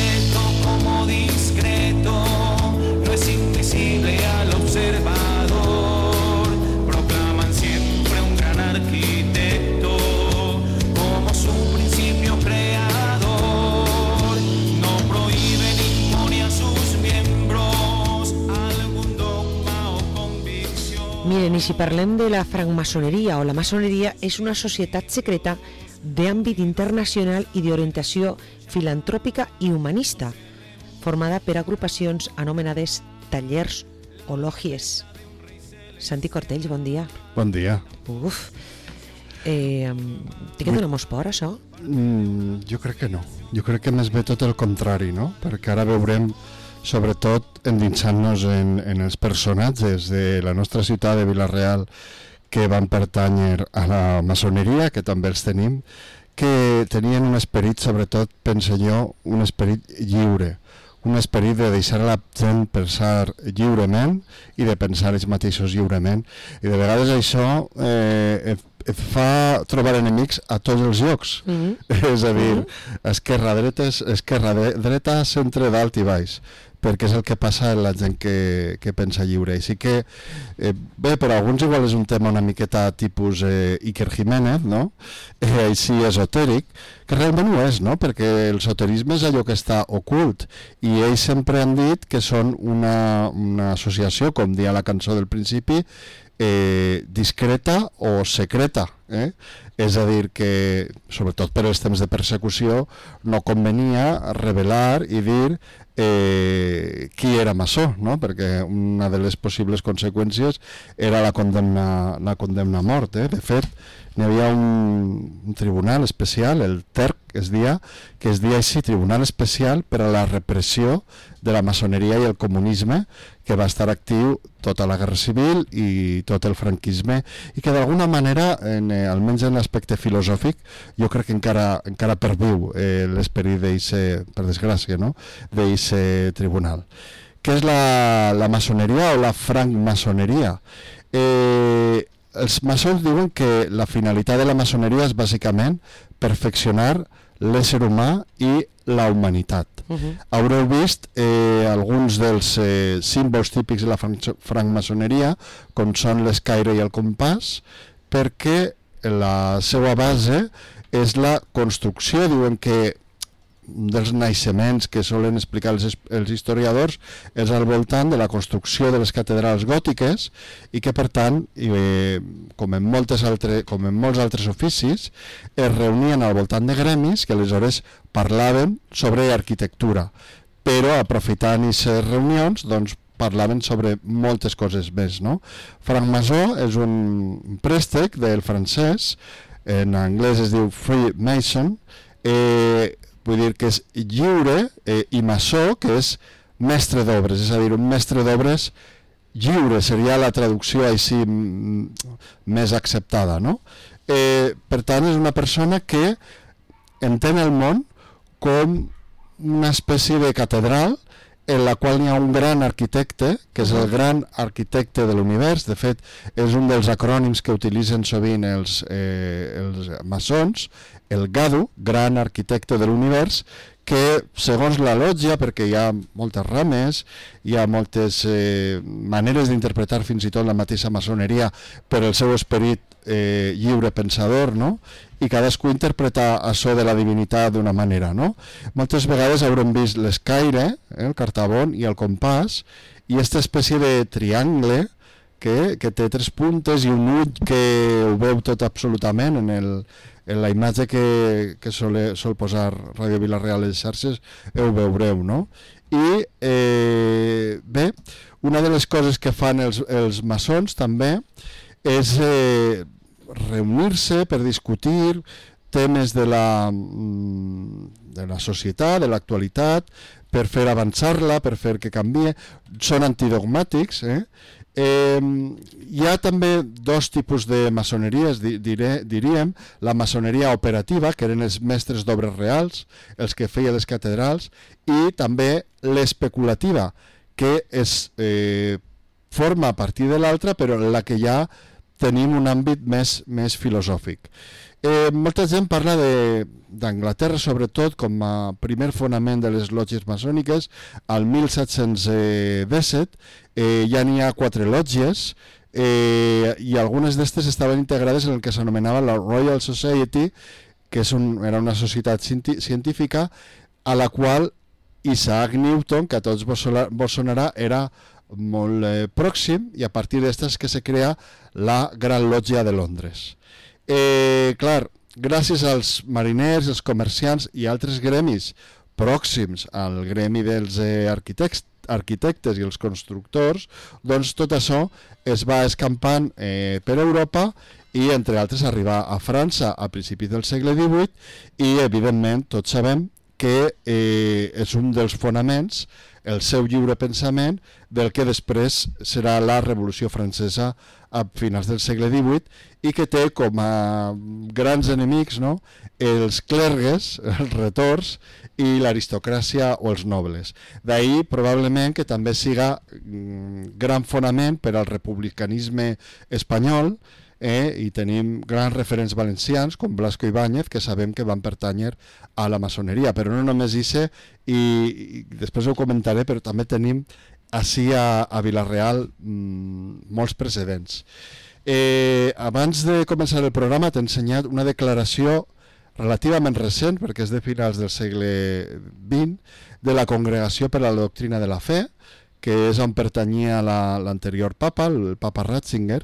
secreto como discreto, no es invisible al observador. Proclaman siempre un gran arquitecto como su principio creador. No prohíbe ni impone a sus miembros algún dogma o convicción. Miren, i si parlem de la francmaçoneria o la maçoneria, és una societat secreta d'àmbit internacional i d'orientació filantròpica i humanista, formada per agrupacions anomenades tallers o lògies. Santi Cortells, bon dia. Bon dia. Uf, té que donar molts por, això? Jo crec que no. Jo crec que més bé tot el contrari, no? Perquè ara veurem, sobretot, endinsant-nos en els personatges de la nostra ciutat de Vila-real que van pertànyer a la maçoneria, que també els tenim, que tenien un esperit, sobretot, penso jo, un esperit lliure, un esperit de deixar a la gent pensar lliurement i de pensar ells mateixos lliurement. I de vegades això et fa trobar enemics a tots els llocs. És a dir, esquerra-dreta, centre, dalt i baix, perquè és el que passa a la gent que pensa lliure. Així que, bé, per alguns igual és un tema una miqueta tipus Iker Jiménez, no? Així esotèric, que realment ho és, no? Perquè el esoterisme és allò que està ocult, i ells sempre han dit que són una associació, com dia la cançó del principi, discreta o secreta, és a dir que, sobretot per els temps de persecució, no convenia revelar i dir qui era maçó, no? Perquè una de les possibles conseqüències era la condemna a mort. De fet, n'hi havia un tribunal especial, el TERC, que es deia així, Tribunal Especial per a la Repressió de la Maçoneria i el Comunisme, que va estar actiu tota la Guerra Civil i tot el franquisme, i que d'alguna manera, almenys en l'aspecte filosòfic, jo crec que encara perviu l'esperit d'eixe, per desgràcia, no?, d'eixe tribunal. Què és la maçoneria o la francmaçoneria? Els maçons diuen que la finalitat de la maçoneria és bàsicament perfeccionar l'ésser humà i la humanitat. Haureu vist alguns dels símbols típics de la francmaçoneria, com són l'escaire i el compàs, perquè la seva base és la construcció. Diuen que dels naixements que solen explicar els historiadors és al voltant de la construcció de les catedrals gòtiques, i que per tant, com en molts altres oficis, es reunien al voltant de gremis que aleshores parlaven sobre arquitectura, però aprofitant aquestes reunions doncs parlaven sobre moltes coses més, no? Francmaçó és un préstec del francès, en anglès es diu Freemason, vull dir que és lliure, i maçó, que és mestre d'obres, és a dir, un mestre d'obres lliure seria la traducció així més acceptada, no? Per tant, és una persona que entén el món com una espècie de catedral en la qual hi ha un gran arquitecte, que és el gran arquitecte de l'univers. De fet, és un dels acrònims que utilitzen sovint els maçons, el GADU, gran arquitecte de l'univers, que segons la lògia, perquè hi ha moltes rames, hi ha moltes maneres d'interpretar fins i tot la mateixa maçoneria per el seu esperit lliure pensador, no? I cadascú interpreta això de la divinitat d'una manera, no? Moltes vegades haurem vist l'escaire, el cartabón i el compàs, i aquesta espècie de triangle que té tres puntes i un ull que ho veu tot absolutament en la imatge que sol posar Ràdio Vila-real a les xarxes, ho veureu, no? I bé, una de les coses que fan els maçons també és reunir-se per discutir temes de la societat, de l'actualitat, per fer avançar-la, per fer que canvie. Són antidogmàtics, Hi ha també dos tipus de maçoneries, diríem, la maçoneria operativa, que eren els mestres d'obres reals, els que feien les catedrals, i també l'especulativa, que es forma a partir de l'altra, però en la que ja tenim un àmbit més filosòfic. Molta gent parla d'Anglaterra, sobretot, com a primer fonament de les lògies maçòniques. Al 1717 ja n'hi ha 4 lògies, i algunes d'estes estaven integrades en el que s'anomenava la Royal Society, que era una societat científica a la qual Isaac Newton, que a tots vos sonarà, era molt pròxim, i a partir d'estes que se crea la Gran Lògia de Londres. Clar, gràcies als mariners, els comerciants i altres gremis pròxims al gremi dels arquitectes i els constructors, doncs tot això es va escampant per Europa i, entre altres, arribar a França a principis del segle XVIII, i, evidentment, tots sabem que és un dels fonaments, el seu lliure pensament, del que després serà la Revolució Francesa a finals del segle XVIII, i que té com a grans enemics, no?, els clergues, els retors, i l'aristocràcia o els nobles. D'ahir probablement que també siga gran fonament per al republicanisme espanyol, i tenim grans referents valencians com Blasco Ibáñez, que sabem que van pertànyer a la maçoneria, però no només això, i després ho comentaré, però també tenim així a Vila-real molts precedents. Abans de començar el programa t'he ensenyat una declaració relativament recent, perquè és de finals del segle XX, de la Congregació per a la Doctrina de la Fe, que és on pertanyia l'anterior papa, el papa Ratzinger,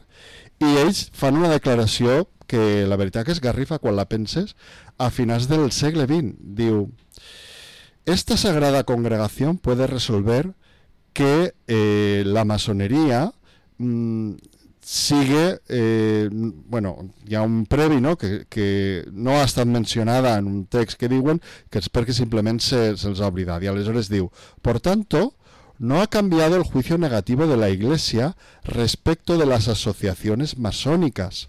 i ells fan una declaració que la veritat que esgarrifa quan la penses, a finals del segle XX. Diu: esta sagrada congregación puede resolver que la masonería sigue, bueno, hi ha un previ, no?, que no ha estat mencionada en un text que diuen que és perquè simplement se'ls ha oblidat, i aleshores diu: por tanto, no ha cambiado el juicio negativo de la Iglesia respecto de las asociaciones masónicas,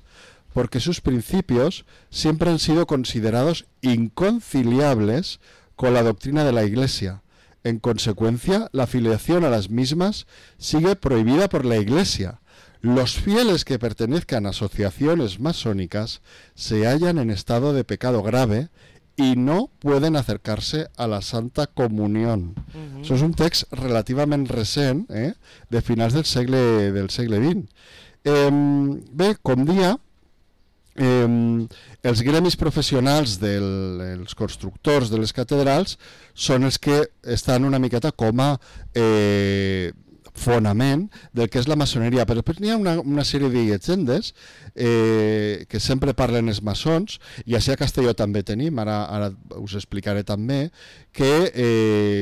porque sus principios siempre han sido considerados inconciliables con la doctrina de la Iglesia. En consecuencia, la afiliación a las mismas sigue prohibida por la Iglesia. Los fieles que pertenezcan a asociaciones masónicas se hallan en estado de pecado grave y no pueden acercarse a la Santa Comunión. Això és un text relativament recent, de finals del segle XX. Bé, com dia, els gremis professionals dels constructors de les catedrals són els que estan una miqueta com a fonament del que és la maçoneria, però després n'hi ha una sèrie de llegendes que sempre parlen els maçons, i així a Castelló també tenim, ara us explicaré també, que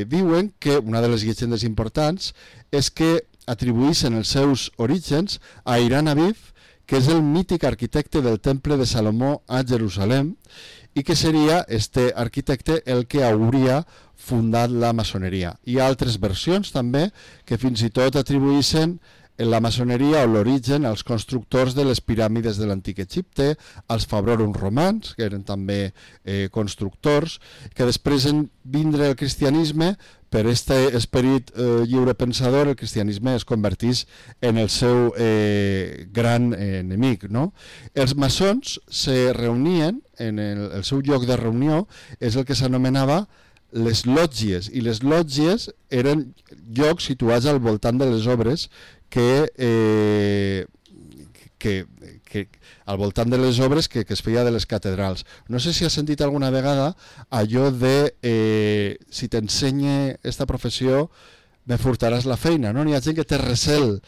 diuen que una de les llegendes importants és que atribuïssin els seus orígens a Hiram Aviv, que és el mític arquitecte del Temple de Salomó a Jerusalem, i que seria este arquitecte el que hauria fundat la maçoneria. Hi ha altres versions també que fins i tot atribuïssin la maçoneria o l'origen als constructors de les piràmides de l'antic Egipte, als fabròrums romans, que eren també constructors, que després en vindre el cristianisme, per aquest esperit lliurepensador, el cristianisme es convertís en el seu gran enemic, no? Els maçons se reunien, en el seu lloc de reunió és el que s'anomenava les lògies, i les lògies eren llocs situats al voltant de les obres que al voltant de les obres que es feia de les catedrals. No sé si has sentit alguna vegada allò de si t'ensenya esta professió me furtaràs la feina, no? N'hi ha gent que té recel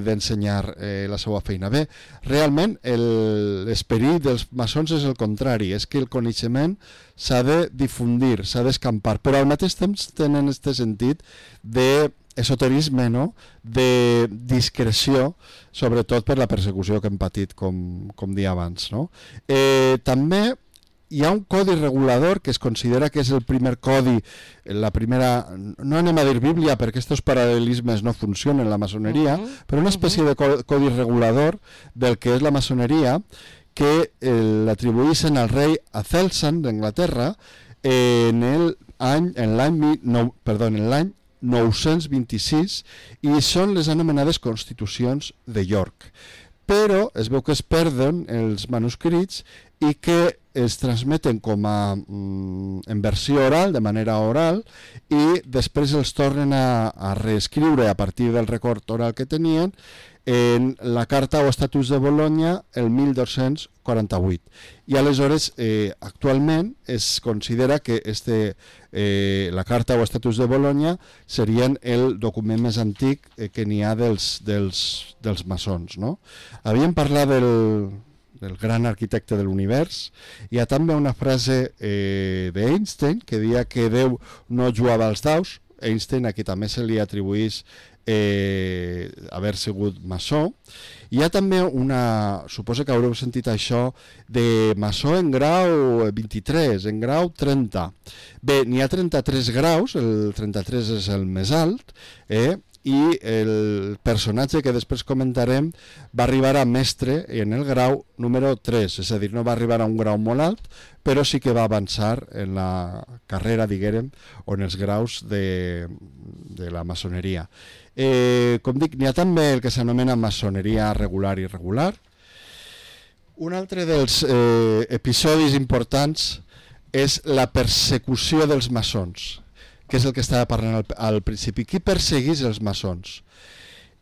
d'ensenyar la seva feina. Bé, realment l'esperit dels maçons és el contrari, és que el coneixement s'ha de difundir, s'ha d'escampar, però al mateix temps tenen aquest sentit d'esoterisme, no?, de discreció, sobretot per la persecució que hem patit, com dia abans, no? També hi ha un codi regulador que es considera que és el primer codi, la primera, no anem a dir Bíblia perquè aquests paral·lelismes no funcionen en la maçoneria, però una espècie de codi regulador del que és la maçoneria, que l'atribuïssin al rei Acelsan d'Anglaterra en l'any 926, i són les anomenades Constitucions de York. Però es veu que es perden els manuscrits i que es transmeten com a en versió oral, de manera oral, i després els tornen a reescriure a partir del record oral que tenien en la Carta o Estatus de Bologna el 1248. I aleshores, actualment, es considera que la Carta o Estatus de Bologna serien el document més antic que n'hi ha dels maçons. No? Havíem parlat del gran arquitecte de l'univers. Hi ha també una frase d'Einstein que deia que Déu no jugava als daus. Einstein, a qui també se li atribueix haver sigut maçó. Hi ha també suposo que haureu sentit això, de maçó en grau 23, en grau 30. Bé, n'hi ha 33 graus, el 33 és el més alt, i el personatge que després comentarem va arribar a mestre en el grau número 3, és a dir, no va arribar a un grau molt alt, però sí que va avançar en la carrera, diguérem, o en els graus de la maçoneria. Com dic, n'hi ha també el que s'anomena maçoneria regular i irregular. Un altre dels episodis importants és la persecució dels maçons, que és el que estava parlant al principi. Qui perseguís els maçons?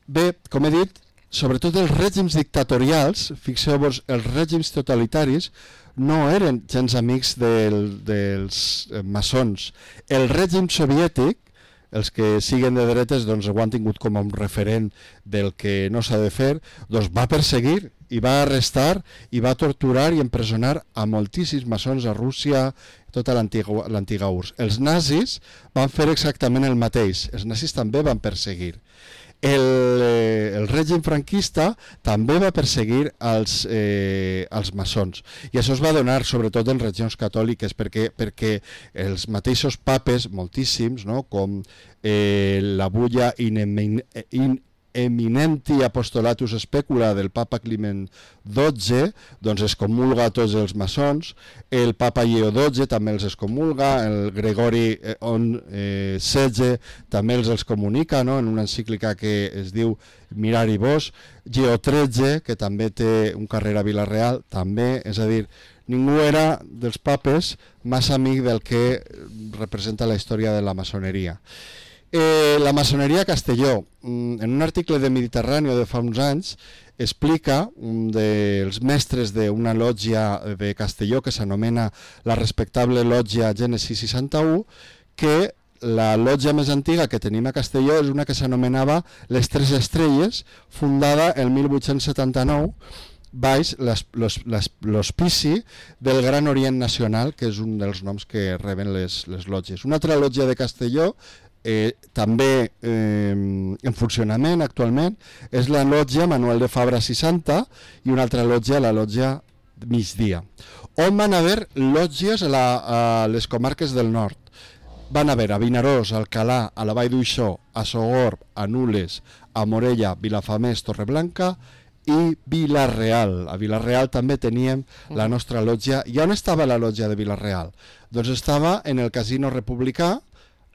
Bé, com he dit, sobretot els règims dictatorials, fixeu-vos, els règims totalitaris no eren gens amics dels maçons. El règim soviètic, els que siguen de dretes doncs, ho han tingut com a un referent del que no s'ha de fer, doncs va perseguir i va arrestar i va torturar i empresonar a moltíssims maçons a Rússia, tota l'antiga URSS. Els nazis van fer exactament el mateix, els nazis també van perseguir. El règim franquista també va perseguir els maçons, i això es va donar sobretot en regions catòliques perquè els mateixos papes, moltíssims, no? Com la bulla Eminenti Apostolatus Specula del papa Climent XII, doncs es comulga a tots els maçons, el papa Lleó XII també els excomulga, el Gregori XVI també els comunica, no? En una encíclica que es diu Mirari Vos, Lleó XIII, que també té un carrer a Vila-real, també, és a dir, ningú era dels papes massa amic del que representa la història de la maçoneria. La maçoneria a Castelló, en un article de Mediterrani de fa uns anys, explica un dels mestres d'una lògia de Castelló que s'anomena la respectable lògia Gènesi 61, que la lògia més antiga que tenim a Castelló és una que s'anomenava Les Tres Estrelles, fundada el 1879, baix l'hospici del Gran Orient Nacional, que és un dels noms que reben les lògies. Una altra lògia de Castelló, també en funcionament actualment, és la lògia Manuel de Fabra 60 i una altra lògia, la lògia Migdia, on van haver lògies a les comarques del nord. Van haver a Vinaròs, a Alcalà, a la Vall d'Uixó, a Sogorb, a Nules, a Morella, Vilafamés, Torreblanca i Vila-real. A Vila-real també teníem la nostra lògia. I on estava la lògia de Vila-real? Doncs estava en el Casino Republicà,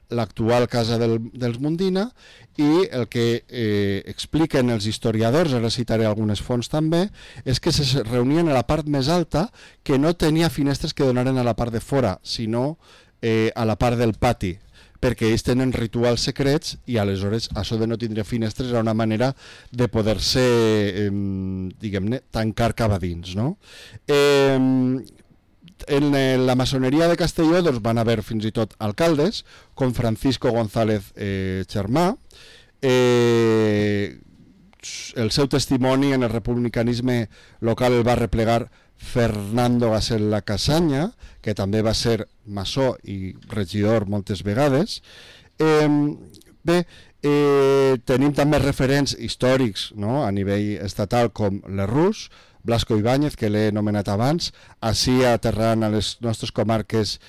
l'actual casa dels Mundina, i el que expliquen els historiadors, ara citaré algunes fonts també, és que se reunien a la part més alta, que no tenia finestres que donaren a la part de fora, sinó a la part del pati, perquè ells tenen rituals secrets i aleshores això de no tindre finestres era una manera de poder-se, diguem-ne, tancar cap a dins, no? En la maçoneria de Castelló doncs, van haver fins i tot alcaldes, com Francisco González Xermà. El seu testimoni en el republicanisme local el va replegar Fernando Gasella Casaña, que també va ser maçó i regidor moltes vegades. Bé, tenim també referents històrics, no? A nivell estatal, com Lerroux, Blasco Ibáñez, que l'he anomenat abans, així aterrant a les nostres comarques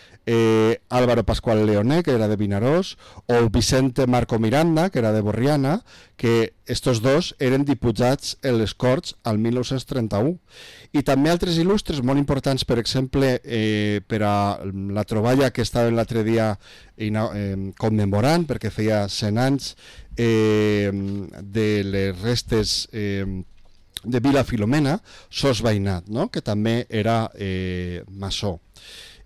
Álvaro Pascual Leoné, que era de Vinaròs, o Vicente Marco Miranda, que era de Borriana, que estos dos eren diputats en les Corts al 1931. I també altres il·lustres molt importants, per exemple, per a la troballa que estava l'altre dia commemorant, perquè feia 100 anys de les restes de Vila Filomena, sos veïnat, no? Que també era maçó.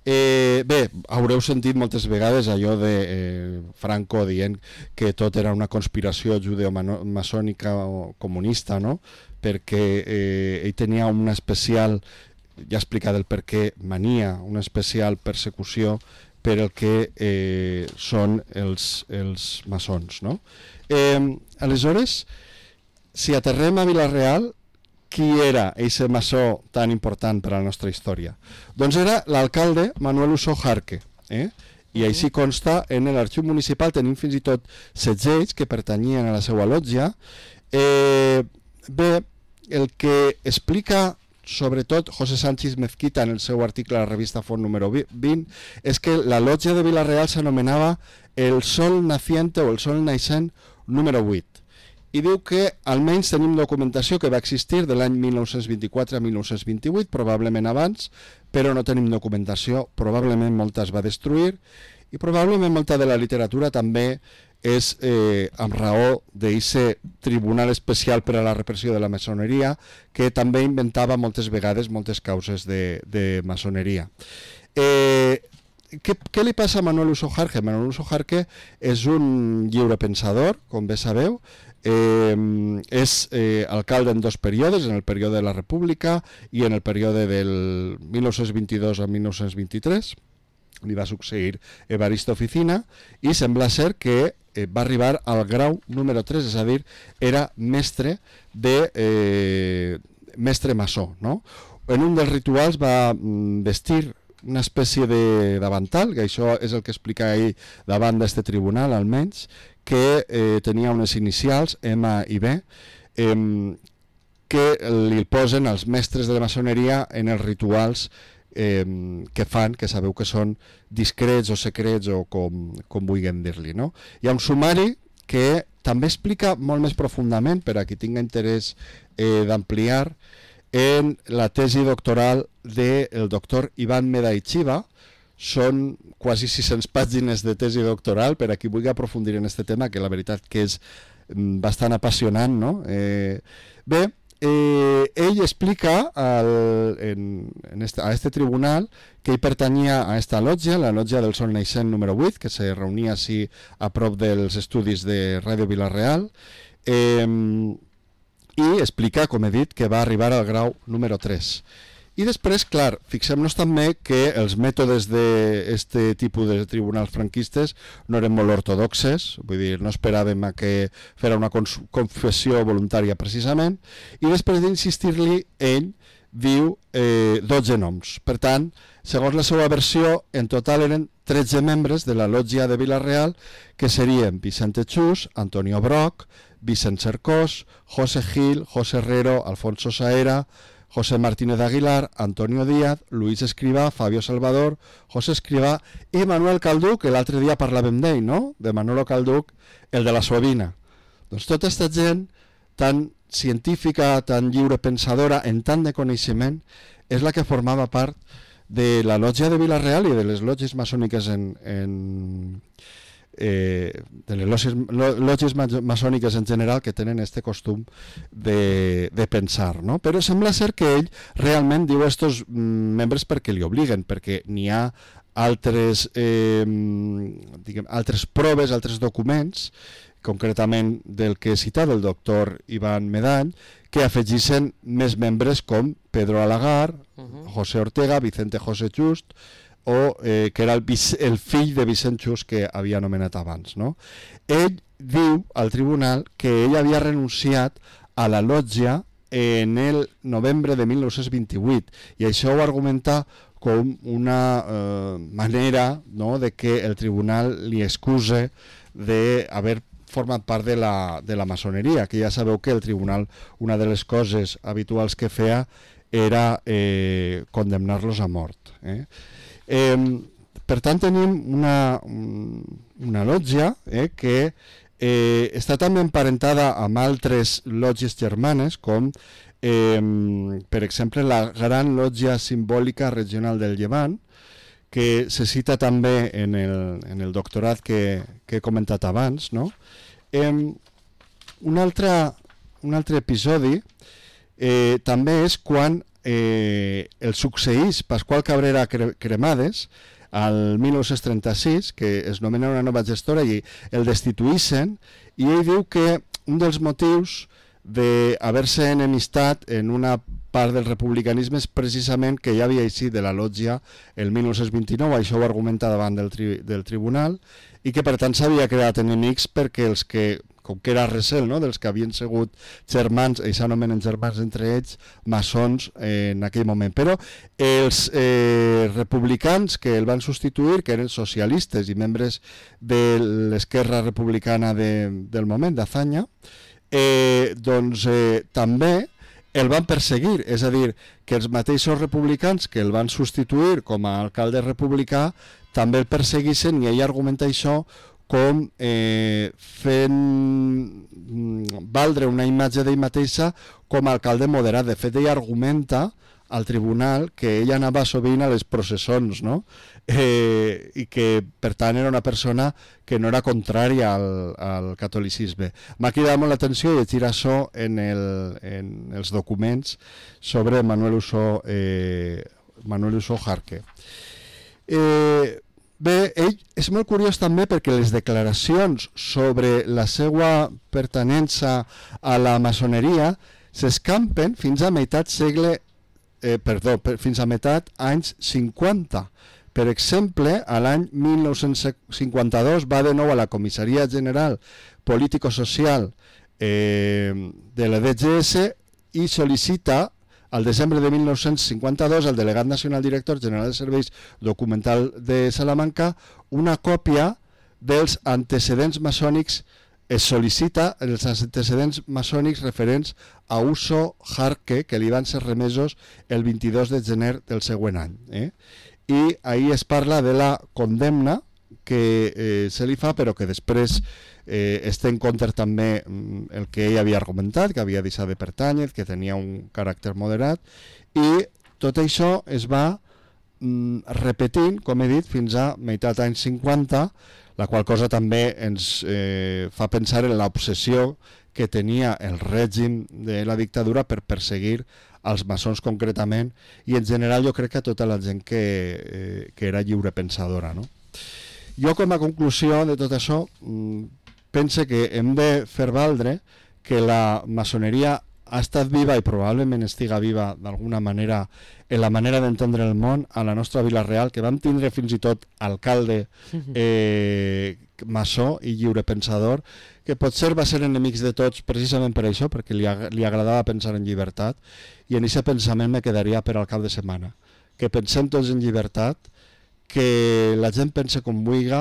Bé, haureu sentit moltes vegades allò de Franco dient que tot era una conspiració judeo-maçònica o comunista, no? Perquè ell tenia una especial, ja he explicat el per què, mania, una especial persecució per el que són els maçons, no? Aleshores, si aterrem a Vila-real, qui era aquest maçó tan important per a la nostra història? Doncs era l'alcalde Manuel Usó Jarque, i així consta en l'arxiu municipal, tenim fins i tot segells que pertanyien a la seva lotja. Bé, el que explica sobretot José Sánchez Mezquita en el seu article a la revista Font número 20 és que la lotja de Vila-real s'anomenava el Sol Naciente o el Sol Naixent número 8. I diu que almenys tenim documentació que va existir de l'any 1924 a 1928, probablement abans, però no tenim documentació, probablement molta es va destruir i probablement molta de la literatura també és amb raó d'aquest tribunal especial per a la repressió de la maçoneria que també inventava moltes vegades moltes causes de maçoneria. Què li passa a Manuel Usó Jarque? Manuel Usó Jarque és un lliurepensador, com bé sabeu, és alcalde en dos períodes, en el període de la República i en el període del 1922 a 1923. Li va succeir Evaristo Oficina i sembla ser que va arribar al grau número 3, és a dir, era mestre maçó, no? En un dels rituals va vestir una espècie de davantal, que això és el que explica ell davant d'aquest tribunal, almenys, que tenia unes inicials, M i B, que li posen als mestres de la maçoneria en els rituals que fan, que sabeu que són discrets o secrets o com vulguem dir-li, no? Hi ha un sumari que també explica molt més profundament, per a qui tinga interès d'ampliar, en la tesi doctoral del doctor Iván Medaichiva. Són quasi 600 pàgines de tesi doctoral per a qui vulgui aprofundir en aquest tema, que la veritat que és bastant apassionant, no? Bé, ell explica a este tribunal que ell pertanyia a esta lotja, la lotja del Sol Naixent número 8, que se reunia així a prop dels estudis de Ràdio Vila-real, i explica, com he dit, que va arribar al grau número 3. I després, clar, fixem-nos també que els mètodes d'aquest tipus de tribunals franquistes no eren molt ortodoxes, vull dir, no esperàvem a que fera una confessió voluntària precisament, i després d'insistir-li, ell diu 12 noms. Per tant, segons la seva versió, en total eren 13 membres de la lotja de Vila-real, que serien Vicente Chus, Antonio Broc, Vicent Cercós, José Gil, José Herrero, Alfonso Saera, José Martínez Aguilar, Antonio Díaz, Luis Escrivá, Fabio Salvador, José Escrivá i Manuel Calduc, que l'altre dia parlàvem d'ell, no? De Manolo Calduc, el de la Suavina. Doncs tota aquesta gent tan científica, tan lliurepensadora, en tant de coneixement, és la que formava part de la lotja de Vila-real i de les lotges maçòniques de les lotges maçòniques en general, que tenen aquest costum de pensar, no? Però sembla ser que ell realment diu estos membres perquè li obliguen, perquè n'hi ha altres proves, altres documents, concretament del que he citat, el doctor Iván Medall, que afegissin més membres com Pedro Alagar, José Ortega, Vicente José Just, o que era el fill de Vicent Chus que havia anomenat abans, no? Ell diu al tribunal que ell havia renunciat a la lotja en el novembre de 1928 i això ho argumenta com una manera, no?, de que el tribunal li excuse d'haver format part de la maçoneria, que ja sabeu que el tribunal, una de les coses habituals que feia era condemnar-los a mort. Per tant, tenim una lotja que està també emparentada amb altres lotges germanes, com per exemple la Gran Lotja Simbòlica Regional del Llevant, que se cita també en el doctorat que he comentat abans, no? Un altre episodi també és quan el succeís Pasqual Cabrera Cremades al 1936, que es nomena una nova gestora i el destituïssen, i ell diu que un dels motius d'haver-se enemistat en una part del republicanisme és precisament que ja havia eixit de la lògia el 1929, això ho argumenta davant del tribunal, i que per tant s'havia creat enemics perquè els que, com que era recel, no?, dels que havien sigut germans, ells s'anomenen germans entre ells, maçons en aquell moment. Però els republicans que el van substituir, que eren socialistes i membres de l'esquerra republicana del moment, d'Azaña, doncs també el van perseguir, és a dir, que els mateixos republicans que el van substituir com a alcalde republicà també el perseguissin, i ell argumenta això com fent valdre una imatge d'ell mateixa com a alcalde moderat. De fet, ell argumenta al tribunal que ell anava sovint a les processons, no? I que per tant era una persona que no era contrària al catolicisme. M'ha cridat molt l'atenció llegir això en els documents sobre Manuel Usó Jarque. Bé, ell és molt curiós també perquè les declaracions sobre la seva pertinença a la maçoneria s'escampen fins a fins a meitat anys 50. Per exemple, a l'any 1952 va de nou a la Comissaria General Político-Social de la DGS i sol·licita al desembre de 1952 al delegat nacional director general de serveis documental de Salamanca una còpia dels antecedents maçònics. Es sol·licita els antecedents maçònics referents a Usó Jarque, que li van ser remesos el 22 de gener del següent any. I ahir es parla de la condemna que se li fa, però que després es té en compte també el que ell havia argumentat, que havia deixat de pertànyer, que tenia un caràcter moderat, i tot això es va repetint, com he dit, fins a meitat anys 50, la qual cosa també ens fa pensar en l'obsessió que tenia el règim de la dictadura per perseguir als maçons concretament, i en general jo crec que a tota la gent que era lliurepensadora, no? Jo, com a conclusió de tot això, penso que hem de fer valdre que la maçoneria ha estat viva i probablement estiga viva d'alguna manera en la manera d'entendre el món a la nostra Vila Real, que vam tindre fins i tot alcalde maçó i lliurepensador, que potser va ser enemics de tots precisament per això, perquè li agradava pensar en llibertat, i en aquest pensament me quedaria per al cap de setmana, que pensem tots en llibertat, que la gent pense com vulgui.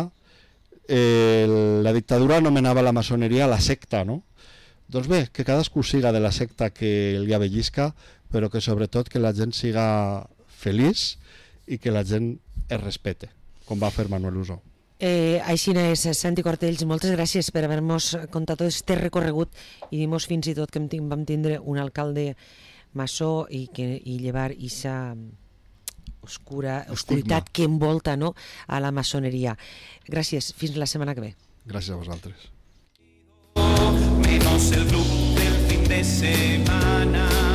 La dictadura anomenava la maçoneria la secta, no? Doncs bé, que cadascú siga de la secta que li avellisca, però que sobretot que la gent siga feliç i que la gent es respete, com va fer Manuel Usó. Així és, Santi Cortells, moltes gràcies per haver-nos contat tot aquest recorregut i dir-nos fins i tot que vam tindre un alcalde maçó i llevar aquesta oscuritat que envolta, no?, a la maçoneria. Gràcies, fins la setmana que ve. Gràcies a vosaltres. Menos el club del fin de semana.